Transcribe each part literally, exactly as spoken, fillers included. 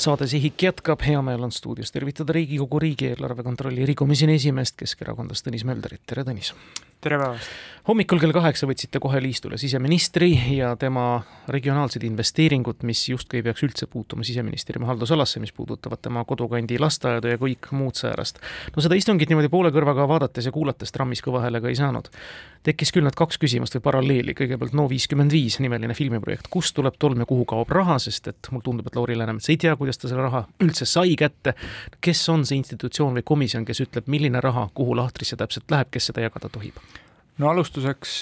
Saade Sihik jätkab, hea meel on stuudios tervitada Riigikogu riigieelarve kontrolli erikomisjoni esimeest Keskerakondast Tõnis Mölderit. Tere, Tõnis! Tere päevast! Hommikul kell kaheksa võtsite kohe liistule siseministri ja tema regionaalsed investeeringud, mis justkui ei peaks üldse puutuma siseministeeriumi haldusalasse, mis puudutavad tema kodukandi lasteaedu ja kõik muud säärast. No seda istungit niimoodi poole kõrvaga vaadates ja kuulates trammis kõva häälega ei saanud. Tekkis küll nad kaks küsimust või paralleeli. Kõigepealt No viiskümmend viis nimeline filmiprojekt. Kust tuleb tolm ja kuhu kaob raha, sest et mul tundub, et Lauri Läänemets ei tea, kuidas ta selle raha üldse sai kätte. Kes on see institutsioon või komisjon, kes ütleb, milline raha kuhu lahtrisse täpselt läheb, kes seda jagada tohib? No alustuseks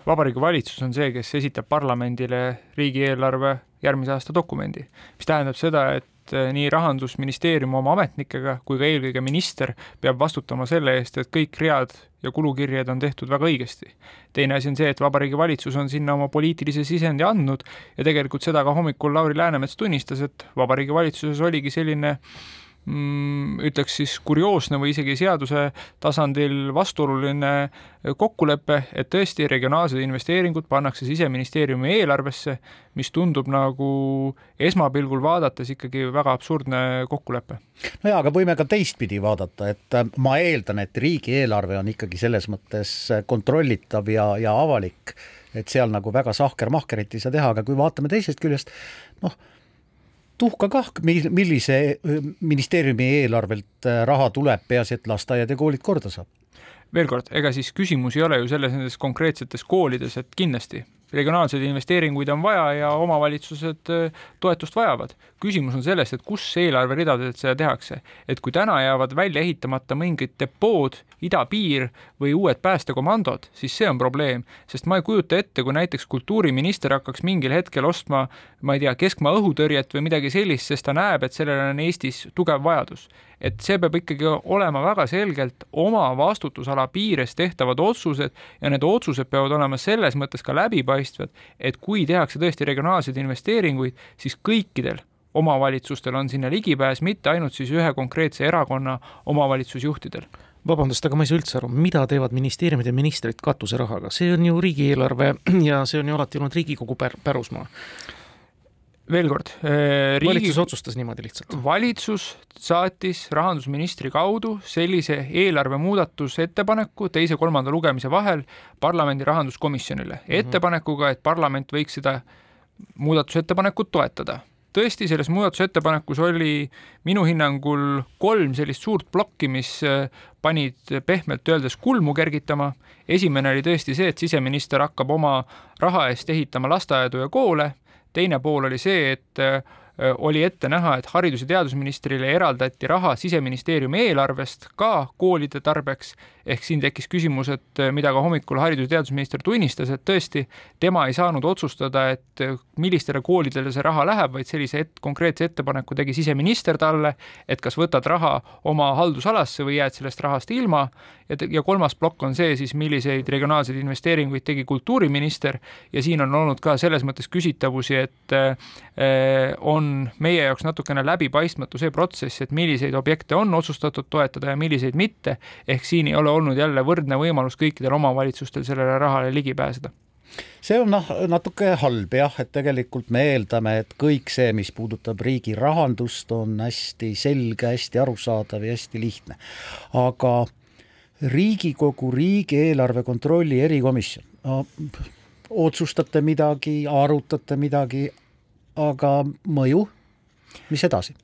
Vabariigi Valitsus on see, kes esitab parlamendile riigieelarve järgmise aasta dokumendi, mis tähendab seda, et nii Rahandusministeerium oma ametnikega kui ka eelkõige minister peab vastutama selle eest, et kõik read ja kulukirjad on tehtud väga õigesti. Teine asi on see, et Vabariigi Valitsus on sinna oma poliitilise sisendi andnud ja tegelikult seda ka hommikul Lauri Läänemets tunnistas, et Vabariigi Valitsuses oligi selline ütleks siis kurioosne või isegi seaduse tasandil vastuoluline kokkulepe, et tõesti regionaalsed investeeringud pannakse siseministeeriumi eelarvesse, mis tundub nagu esmapilgul vaadates ikkagi väga absurdne kokkulepe. No jaa, aga võime ka teistpidi vaadata, et ma eeldan, et riigieelarve on ikkagi selles mõttes kontrollitav ja, ja avalik, et seal nagu väga sahker-mahkerit ei saa teha, aga kui vaatame teisest küljest, noh, tuhka kah, millise ministeeriumi eelarvelt raha tuleb, peaasi, et lasteaiad ja koolid korda saab. Veel kord, ega siis küsimus ei ole ju selles nendes konkreetsetes koolides, et kindlasti regionaalseid investeeringuid on vaja ja omavalitsused toetust vajavad. Küsimus on sellest, et kus eelarveridadelt seda tehakse. Et kui täna jäävad välja ehitamata mingid depood, idapiir või uued päästekomandod, siis see on probleem. Sest ma ei kujuta ette, kui näiteks kultuuriminister hakkaks mingil hetkel ostma, ma ei tea, keskmaa õhutõrjet või midagi sellist, sest ta näeb, et sellel on Eestis tugev vajadus. Et see peab ikkagi olema väga selgelt oma vastutusala piires tehtavad otsused ja need otsused peavad olema selles mõttes ka läbipaistvad, et kui tehakse tõesti regionaalseid investeeringuid, siis kõikidel omavalitsustel on sinna ligipääs, mitte ainult siis ühe konkreetse erakonna omavalitsusjuhtidel. Vabandust, aga ma ei saa üldse aru, mida teevad ministeeriumid ja ministrid katuserahaga? See on ju riigieelarve ja see on ju alati olnud Riigikogu pär- pärusmaa. Veel kord. Riigi... Valitsus otsustas niimoodi lihtsalt. Valitsus saatis rahandusministri kaudu sellise eelarve muudatusettepaneku teise kolmanda lugemise vahel parlamendi rahanduskomisjonile. Mm-hmm. Ettepanekuga, et parlament võiks seda muudatusettepanekut toetada. Tõesti, selles muudatusettepanekus oli minu hinnangul kolm sellist suurt plokki, mis panid pehmelt öeldes kulmu kergitama. Esimene oli tõesti see, et siseminister hakkab oma raha eest ehitama lasteaedu ja koole. Teine pool oli see, et oli ette näha, et haridus- ja teadusministrile eraldati raha siseministeeriumi eelarvest ka koolide tarbeks. Ehk siin tekkis küsimus, et mida ka hommikul haridus- ja teadusminister tunnistas, et tõesti tema ei saanud otsustada, et millistele koolidele see raha läheb, vaid sellise et, konkreetse ettepaneku tegi siseminister talle, et kas võtad raha oma haldusalasse või jääd sellest rahast ilma. Ja, ja kolmas plokk on see siis, milliseid regionaalseid investeeringuid tegi kultuuriminister ja siin on olnud ka selles mõttes küsitavusi, et on meie jaoks natukene läbipaistmatu see protsess, et milliseid objekte on otsustatud toetada ja milliseid mitte, ehk siin ei ole olnud jälle võrdne võimalus kõikidel omavalitsustel sellele rahale ligi pääseda. See on natuke halb jah, et tegelikult me eeldame, et kõik see, mis puudutab riigi rahandust, on hästi selge, hästi arusaadav ja hästi lihtne. Aga Riigikogu riigieelarve kontrolli erikomisjon, no, otsustate midagi, arutate midagi, aga mõju, mis edasi?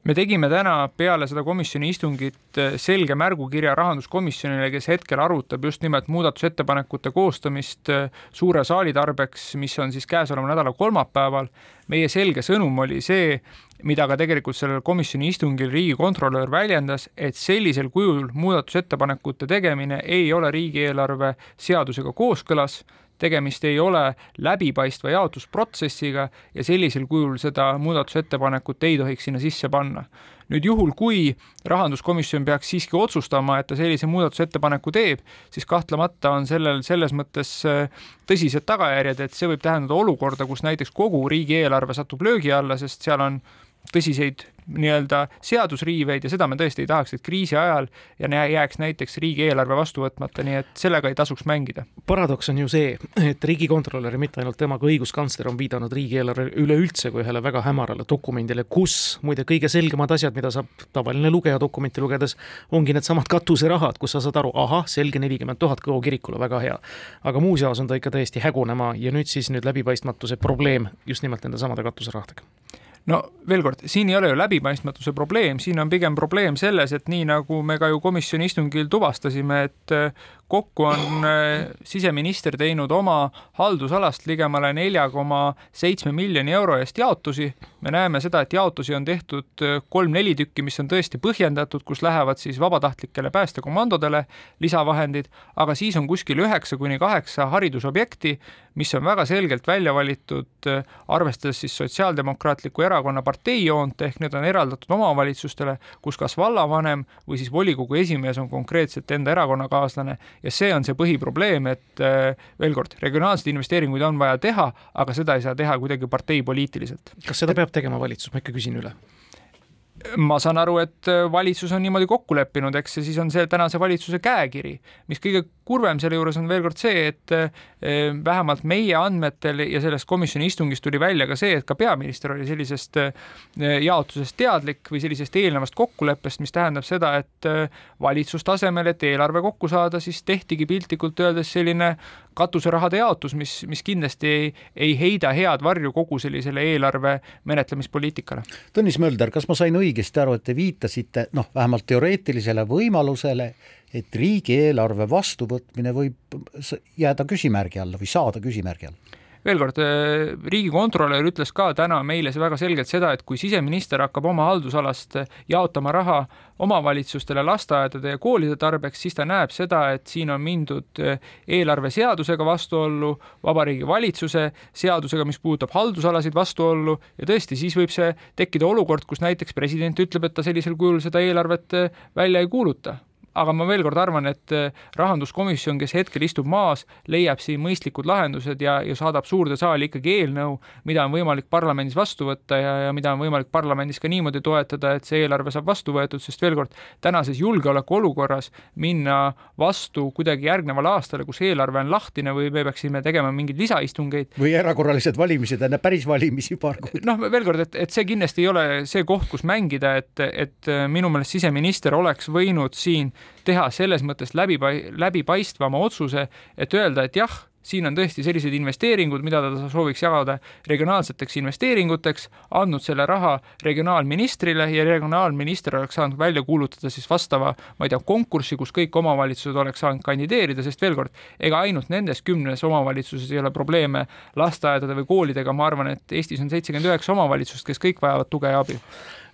Me tegime täna peale seda komisjoni istungit selge märgukirja rahanduskomisjonile, kes hetkel arutab just nimelt muudatusettepanekute koostamist suure saali tarbeks, mis on siis käesoleva nädala kolmapäeval. Meie selge sõnum oli see, mida ka tegelikult sellel komisjoni istungil riigikontrolör väljendas, et sellisel kujul muudatusettepanekute tegemine ei ole riigieelarve seadusega kooskõlas. Tegemist ei ole läbipaistva jaotusprotsessiga ja sellisel kujul seda muudatusettepanekut ei tohiks sinna sisse panna. Nüüd juhul, kui rahanduskomisjon peaks siiski otsustama, et ta sellise muudatusettepaneku teeb, siis kahtlemata on sellel selles mõttes tõsised tagajärjed, et see võib tähendada olukorda, kus näiteks kogu riigieelarve satub löögi alla, sest seal on tõsiseid nii-öelda seadusriiveid ja seda me tõesti ei tahaks, et kriisi ajal ja jääks näiteks riigieelarve vastu võtmata, nii et sellega ei tasuks mängida. Paradoks on ju see, et riigikontrolör ja mitte ainult temaga õiguskantsler on viidanud riigieelarve üleüldse kui ühele väga hämarale dokumendile, kus muide kõige selgemad asjad, mida saab tavaline lugeja dokumenti lugedes, ongi need samad katuserahad, kus sa saad aru, aha, selge nelikümmend tuhat Kõo kirikule, väga hea. Aga muus jaos on ta ikka täiesti hägunema ja nüüd siis nüüd läbipaistmatuse probleem just nimelt nende samade katuserahadega. No veel kord, siin ei ole ju läbipaistmatuse probleem, siin on pigem probleem selles, et nii nagu me ka ju komisjoni istungil tuvastasime, et kokku on siseminister teinud oma haldusalast ligemale nelja koma seitsme miljoni euro eest jaotusi. Me näeme seda, et jaotusi on tehtud kolm-neli tükki, mis on tõesti põhjendatud, kus lähevad siis vabatahtlikele päästekomandodele lisavahendid, aga siis on kuskil üheksa kuni kaheksa haridusobjekti, mis on väga selgelt välja valitud, arvestades siis sotsiaaldemokraatliku erakonna parteijoont, ehk need on eraldatud omavalitsustele, kus kas vallavanem või siis volikogu esimees on konkreetselt enda erakonnakaaslane. Ja see on see põhiprobleem, et veel kord, regionaalseid investeeringuid on vaja teha, aga seda ei saa teha kuidagi parteipoliitiliselt. Kas seda peab tegema valitsus? Ma ikka küsin üle. Ma saan aru, et valitsus on niimoodi kokku leppinud, eks see siis on see tänase valitsuse käekiri, mis kõige kurvem selle juures on veel kord see, et vähemalt meie andmetel ja sellest komisjoni istungist tuli välja ka see, et ka peaminister oli sellisest jaotusest teadlik või sellisest eelnevast kokkuleppest, mis tähendab seda, et valitsustasemel, et eelarve kokku saada, siis tehtigi piltlikult öeldes selline katuserahade jaotus, mis, mis kindlasti ei, ei heida head varju kogu sellisele eelarve menetlemispoliitikale. Tõnis Mölder, kas ma sain õigesti aru, et te viitasite noh, vähemalt teoreetilisele võimalusele, et riigieelarve vastuvõtmine võib jääda küsimärgi alla või saada küsimärgi alla? Veel kord, riigikontrolör ütles ka täna meile see väga selgelt seda, et kui siseminister hakkab oma haldusalast jaotama raha omavalitsustele, lasteaedade ja koolide tarbeks, siis ta näeb seda, et siin on mindud eelarve seadusega vastuollu, Vabariigi Valitsuse seadusega, mis puudutab haldusalasid vastuollu ja tõesti, siis võib see tekkida olukord, kus näiteks president ütleb, et ta sellisel kujul seda eelarvet välja ei kuuluta. Aga ma veel kord arvan, et rahanduskomisjon, kes hetkel istub maas, leiab siin mõistlikud lahendused ja, ja saadab suurde saali ikkagi eelnõu, mida on võimalik parlamendis vastu võtta ja, ja mida on võimalik parlamendis ka niimoodi toetada, et see eelarve saab vastu võetud, sest veel kord, tänases julgeoleku olukorras minna vastu kuidagi järgnevale aastale, kus eelarve on lahtine või me peaksime tegema mingeid lisaistungeid. Või erakorralised valimised, enne päris valimisi paar kuud. Noh, veel kord, et, et see kindlasti ei ole see koht, kus mängida, et, et minu meelest siseminister oleks võinud siin teha selles mõttes läbipa, läbipaistvama otsuse, et öelda, et jah, siin on tõesti sellised investeeringud, mida ta sooviks jagada regionaalseteks investeeringuteks, andnud selle raha regionaalministrile ja regionaalminister oleks saanud välja kuulutada siis vastava, ma ei tea, konkurssi, kus kõik omavalitsused oleks saanud kandideerida, sest veel kord, ega ainult nendes kümnes omavalitsuses ei ole probleeme lasteaedade või koolidega, ma arvan, et Eestis on seitsekümmend üheksa omavalitsust, kes kõik vajavad tuge ja abi.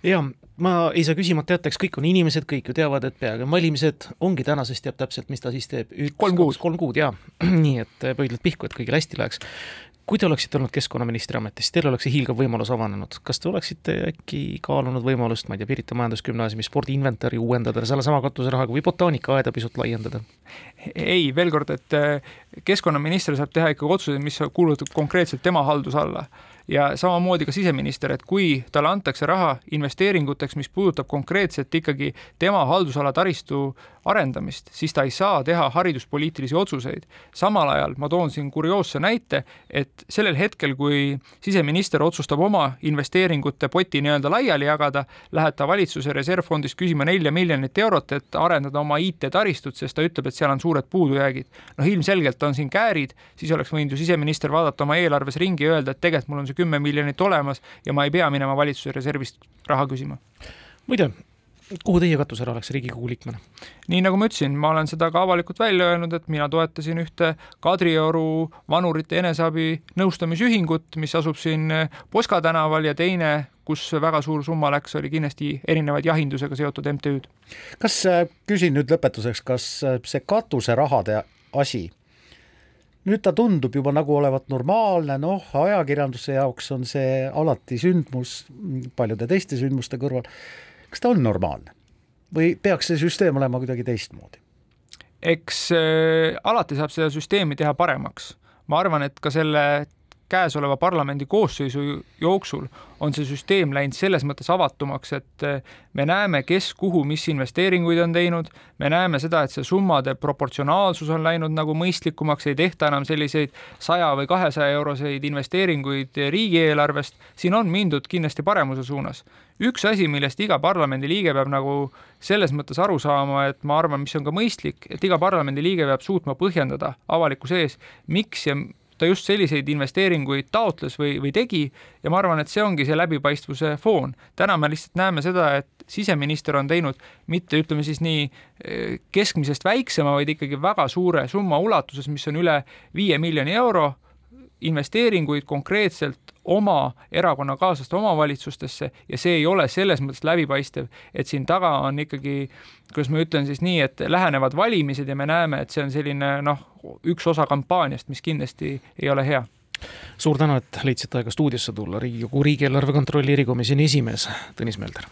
Ja ma ei saa küsimata jätta, eks kõik on inimesed, kõik ju teavad, et peaaegu valimised ongi tänasest teab täpselt, mis ta siis teeb. Üks, kolm kuud. Kolm kuud, jaa. Nii, et pöidled pihku, et kõigil hästi läheks. Kui te oleksite olnud keskkonnaministri ametis, teil oleks hiilgav võimalus avanenud. Kas te oleksite äkki kaalunud võimalust, ma ei tea, Pirita majandusgümnaasiumi spordiinventari uuendada selle sama katuserahaga või botaanikaaeda pisut laiendada? Ei, veel kord, et keskkonnaminister saab teha ikka otsused, mis kuuluvad konkreetselt tema haldus alla. Ja samamoodi ka siseminister, et kui talle antakse raha investeeringuteks, mis puudutab konkreetselt ikkagi tema haldusala taristu arendamist, siis ta ei saa teha hariduspoliitilisi otsuseid. Samal ajal ma toon siin kurioosse näite, et sellel hetkel, kui siseminister otsustab oma investeeringute poti nii-öelda laiali jagada, lähed ta valitsuse reservfondist küsima nelja miljonit eurot, et arendada oma I T-taristut, sest ta ütleb, et seal on suured puudujäägid. No ilmselgelt on siin käärid, siis oleks võinud ju siseminister vaadata oma eelarves ringi ja öelda, et tegelikult mul on see kümme miljonit olemas ja ma ei pea minema valitsuse reservist raha küsima. Muide, kuhu teie katusera oleks Riigikogu liikmena? Nii nagu ma ütlesin, ma olen seda ka avalikult välja öelnud, et mina toetasin ühte Kadrioru vanurite eneseabi nõustamisühingut, mis asub siin Poska tänaval ja teine, kus väga suur summa läks, oli kindlasti erinevaid jahindusega seotud M T Üd. Kas, küsin nüüd lõpetuseks, kas see katuserahade asi, nüüd ta tundub juba nagu olevat normaalne, noh, ajakirjanduse jaoks on see alati sündmus paljude teiste sündmuste kõrval. Kas ta on normaalne? Või peaks see süsteem olema kuidagi teistmoodi? Eks äh, alati saab seda süsteemi teha paremaks. Ma arvan, et ka selle käesoleva parlamendi koosseisu jooksul on see süsteem läinud selles mõttes avatumaks, et me näeme, kes kuhu mis investeeringuid on teinud, me näeme seda, et see summade proportsionaalsus on läinud nagu mõistlikumaks, ei tehta enam selliseid saja või kahesaja euroseid investeeringuid riigieelarvest, siin on mindud kindlasti paremuse suunas. Üks asi, millest iga parlamendi liige peab nagu selles mõttes aru saama, et ma arvan, mis on ka mõistlik, et iga parlamendi liige peab suutma põhjendada avalikkuse ees, miks ja ta just selliseid investeeringuid taotles või, või tegi ja ma arvan, et see ongi see läbipaistvuse foon. Täna me lihtsalt näeme seda, et siseminister on teinud mitte, ütleme siis nii keskmisest väiksema, vaid ikkagi väga suure summa ulatuses, mis on üle viie miljoni euro investeeringuid konkreetselt oma erakonnakaaslaste omavalitsustesse ja see ei ole selles mõttes läbipaistev, et siin taga on ikkagi, kuidas ma ütlen siis nii, et lähenevad valimised ja me näeme, et see on selline noh, üks osa kampaaniast, mis kindlasti ei ole hea. Suur tänu, et leidsite aega stuudiosse tulla. Riigikogu riigieelarve kontrolli erikomisjoni esimees Tõnis Mölder.